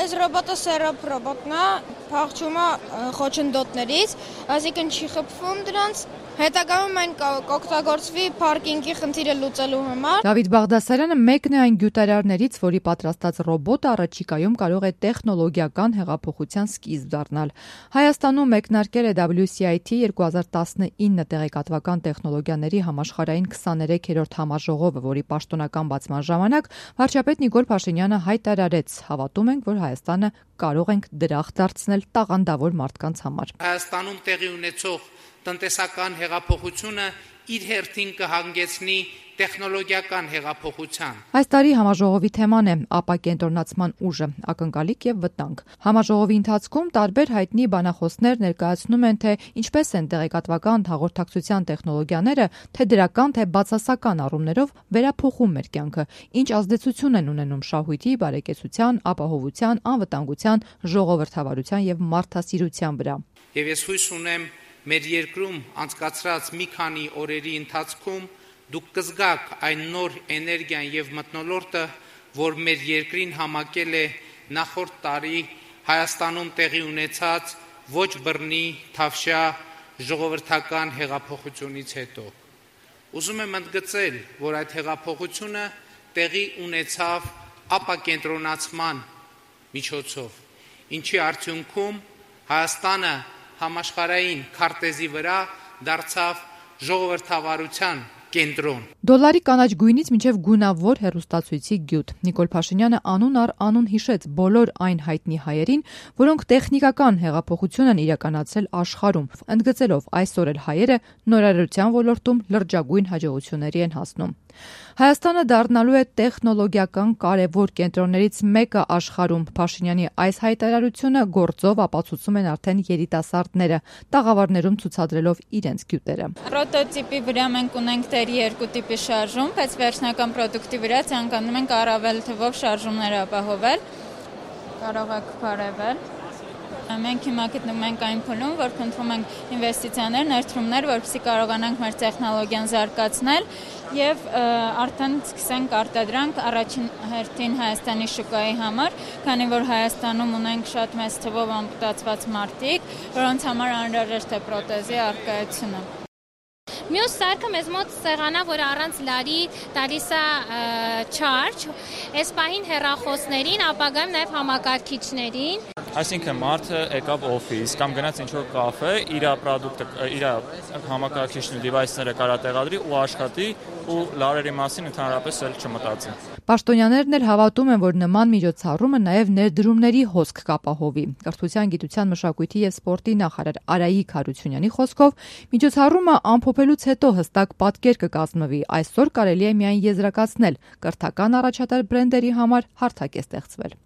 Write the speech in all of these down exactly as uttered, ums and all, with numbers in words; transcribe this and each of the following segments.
Այս ռոբոտը սերոբ ռոբոտն է, փախչում է խոչընդոտներից, այսինքն չի խփվում դրանց։ Հետագայում այն կօգտագործվի պարկինգի խնդիրը լուծելու համար։ Դավիթ Բաղդասարյանը մեկն է այն գյուտարարներից, որի պատրաստած ռոբոտը առաջիկայում կարող է տեխնոլոգիական հեղափոխության սկիզբ դառնալ։ Հայաստանում մեկնարկել է դաբլյու սի այ թի երկու հազար տասնինը տեղեկատվական տեխնոլոգիաների համաշխարհային քսաներեքերորդ համաժողովը, որի պաշտոնական բացման ժամանակ վարչապետ Նիկոլ Փաշինյանը հայտարարեց. հավատում ենք, որ Հայաստանը կարող ենք դրախտ դարձնել տաղանդավոր մարդկանց համար։ Հայաստանում տեղի ունեցող տնտեսական հեղափոխությունը իր հերթին կհանգեցնի տեխնոլոգիական հեղափոխության։ Այս տարի համաժողովի թեման է ապակենտրոնացման ուժը, ակնկալիք եւ վտանգ։ Համաժողովի ընթացքում տարբեր հայտնի բանախոսներ ներկայացնում են, թե ինչպես են տեղեկատվական հաղորդակցության տեխնոլոգիաները թե դրական, թե բացասական առումներով վերափոխում մեր կյանքը, ինչ ազդեցություն են ունենում շահույթի, բարեկեցության, ապահովության, անվտանգության, ժողովրդավարության եւ մարդասիրության վրա։ Եվ ես հույս ունեմ, մեր երկրում անցկացրած մի քանի օրերի ընթացքում դուք կզգաք այն նոր էներգիան եւ մթնոլորտը, որ մեր երկրին համակել է նախորդ տարի Հայաստանում տեղի ունեցած ոչ բռնի թավշյա ժողովրդական հեղափոխությունից հետո։ Ուզում եմ ընդգծել, որ այդ հեղափոխությունը տեղի ունեցավ ապակենտրոնացման միջոցով, ինչի արդյունքում Հայաստանը համաշխարհային քարտեզի վրա դարձավ ժողովրդավարության կենտրոն։ Դոլարի կանաչ գույնից մինչև գունավոր հեռուստացույցի գյուտ։ Նիկոլ Փաշինյանը անուն առ անուն հիշեց բոլոր այն հայտնի հայերին, որոնք տեխնիկական հեղափոխություն են իրականացրել աշխարհում, ընդգծելով այսօր էլ հայերը նորարարության ոլորտում լրջագույն հաջողությունների են հասնում։ Հայաստանը դառնալու է տեխնոլոգիական կարևոր կենտրոններից մեկը աշխարհում։ Փաշինյանի այս հայտարարությունը գործով ապացուցում են արդեն երիտասարդները, տաղավարներում ցուցադրելով իրենց գյուտերը։ Պրոտոտիպի վրա մենք ունենք դեռ երկու տիպի շարժում, բայց վերջնական պրոդուկտի վրա ցանկանում ենք առավել թվով շարժումներ ապահովել։ Կարող եք բարևել։ Մենք հիմա գտնվում ենք այն փուլում, որ փնտրում ենք ինվեստիցիաներ, ներդրումներ, որպեսզի կարողանանք մեր տեխնոլոգիան զարգացնել եւ արդեն սկսենք արտադրանք առաջին հերթին Հայաստանի շուկայի համար, քանի որ Հայաստանում ունենք շատ մեծ թվով ամպուտացված մարդիկ, որոնց համար անհրաժեշտ է պրոթեզի առկայությունը։ Մյուս սարքը մեզ մոտ սեղանա, որ առանց լարի տալիս է չարջ, այս պահին հեռախոսներին, ապագայում նաև համակարգիչներին։ Այսինքն մարդը եկավ օֆիս կամ գնաց ինչ-որ կաֆե, իր պրոդուկտը, իր համակարգիչն ու դիվայսները կարա տեղադրի ու աշխատի ու լարերի մասին ընդհանրապես էլ չմտածի։ Պաշտոնյաներն էլ հավատում են, որ նման միջոցառումը նաև ներդրումների հոսք կապահովի։ Կրթության, գիտության, մշակույթի եւ սպորտի նախարար Արայիկ Հարությունյանի խոսքով միջոցառումը ամփոփելուց հետո հստակ պատկեր կկազմվի։ Այսօր կարելի է միայն եզրակացնել, կրթական առաջատար բրենդերի համար հարթակ է ստեղծվել։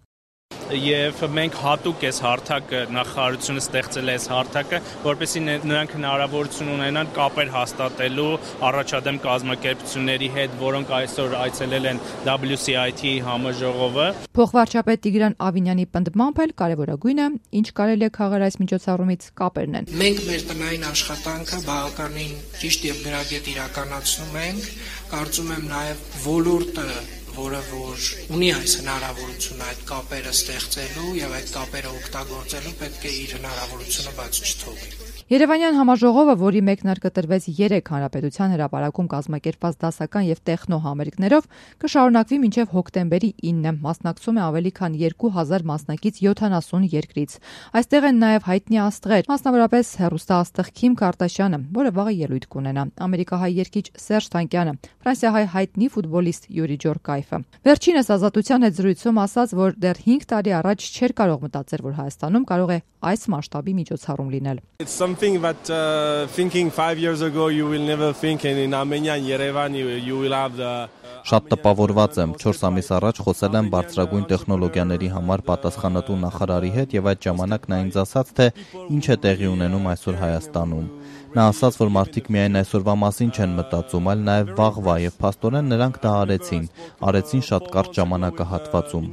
Եվ մենք հատուկ այս հարթակը նախարարությունը ստեղծել է այս հարթակը, որպեսզի նրանք հնարավորություն ունենան կապեր հաստատելու առաջադեմ կազմակերպությունների հետ, որոնք այսօր այցելել են դաբլյու սի այ թի համաժողովը։ Փոխվարչապետ Տիգրան Ավինյանի պնդմամբ էլ կարևորագույնը, ինչ կարելի է քաղել այս միջոցառումից, կապերն են։ Մենք մեր տնային աշխատանքը բավականին ճիշտ եւ գրագետ իրականացնում ենք, կարծում եմ նաեւ ոլորտը որը որ ունի այս հնարավորությունը այդ կապերը ստեղծելու եւ այդ կապերը օգտագործելու պետք է իր հնարավորությունը բաց չթողի։ Երևանյան համաժողովը, որի մեկնարկը տրվեց երեք հանրապետության հրապարակում կազմակերպված դասական եւ տեխնո համերգներով, կշարունակվի մինչեւ հոկտեմբերի ինը, մասնակցում է ավելի քան երկու հազար մասնակից յոթանասուն երկրից։ Այստեղ են նաեւ հայտնի աստղեր, մասնավորապես հեռուստաաստղ Քիմ Քարդաշյանը, որը վաղը ելույթ կունենա, ամերիկահայ երգիչ Սերժ Թանկյանը, ֆրանսիահայ հայտնի ֆուտբոլիստ Յուրի Ջորկայֆը։ Վերջինս Ազատության հետ զրույցում ասաց, որ դեռ հինգ տարի առաջ չէր կարող մտածել, որ Հայաստանում կարող է այս մասշտաբի միջոցառում լինել։ It's something that uh, thinking five years ago you will never think and in Armenia and Yerevan you, you will have the Շատ տպավորված եմ, չորս ամիս առաջ խոսել եմ բարձրագույն տեխնոլոգիաների համար պատասխանատու նախարարի հետ եւ այդ ժամանակ նա ինձ ասաց, թե ինչ է տեղի ունենում այսօր Հայաստանում։ Նա ասաց, որ մարդիկ միայն այսօրվա մասին չեն մտածում, այլ նաև վաղվա եւ փաստորեն նրանք դա արեցին, արեցին շատ կարճ ժամանակահատվածում։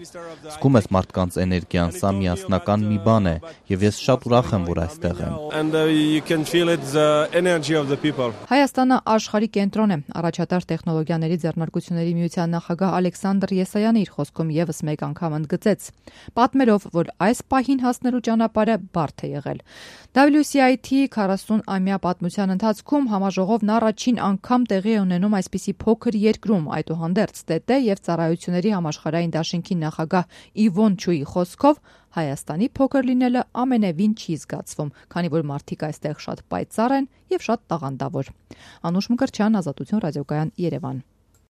Զգում ես մարդկանց էներգիան, սա միասնական մի բան է եւ ես շատ ուրախ եմ, որ այստեղ եմ։ And uh, you can feel it the energy of the people. Հայաստանը աշխարհի կենտրոն է, առաջատար տեխնոլոգիաների ձեռնարկություն Հանրապետությունների միության նախագահ Ալեքսանդր Եսայանը իր խոսքում եւս մեկ անգամ ընդգծեց, պատմելով, որ այս պահին հասնելու ճանապարհը բարդ է եղել։ դաբլյու սի այ թի-ի քառասուն-ամյա պատմության ընթացքում համաժողովն առաջին անգամ տեղի է ունենում այսպիսի փոքր երկրում, այդուհանդերձ ՏՏ եւ Ծառայությունների համաշխարհային դաշինքի նախագահ Իվոն Չուի խոսքով Հայաստանի փոքր լինելը ամենևին չի զգացվում, քանի որ մարդիկ այստեղ շատ պայծառ են եւ շատ տաղանդավոր։ Անուշ Մկրտչյան, Ազատություն ռադիոկայան, Երևան։